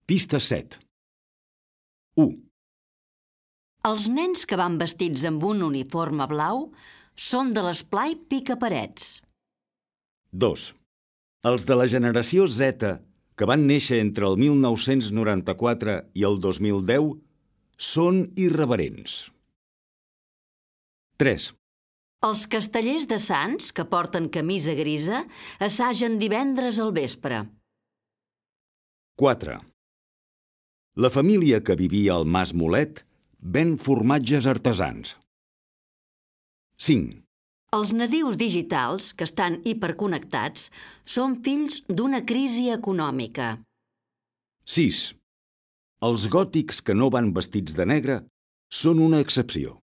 Pista 7. 1. Els nens que van vestits amb un uniforme blau són de l'esplai Picaparets. 2. Els de la generació Z, que van néixer entre el 1994 i el 2010, són irreverents. 3. Els castellers de Sants, que porten camisa grisa, assagen divendres al vespre. 4. La família que vivia al Mas Molet ven formatges artesans. 5. Els nadius digitals, que estan hiperconnectats, són fills d'una crisi econòmica. 6. Els gòtics que no van vestits de negre són una excepció.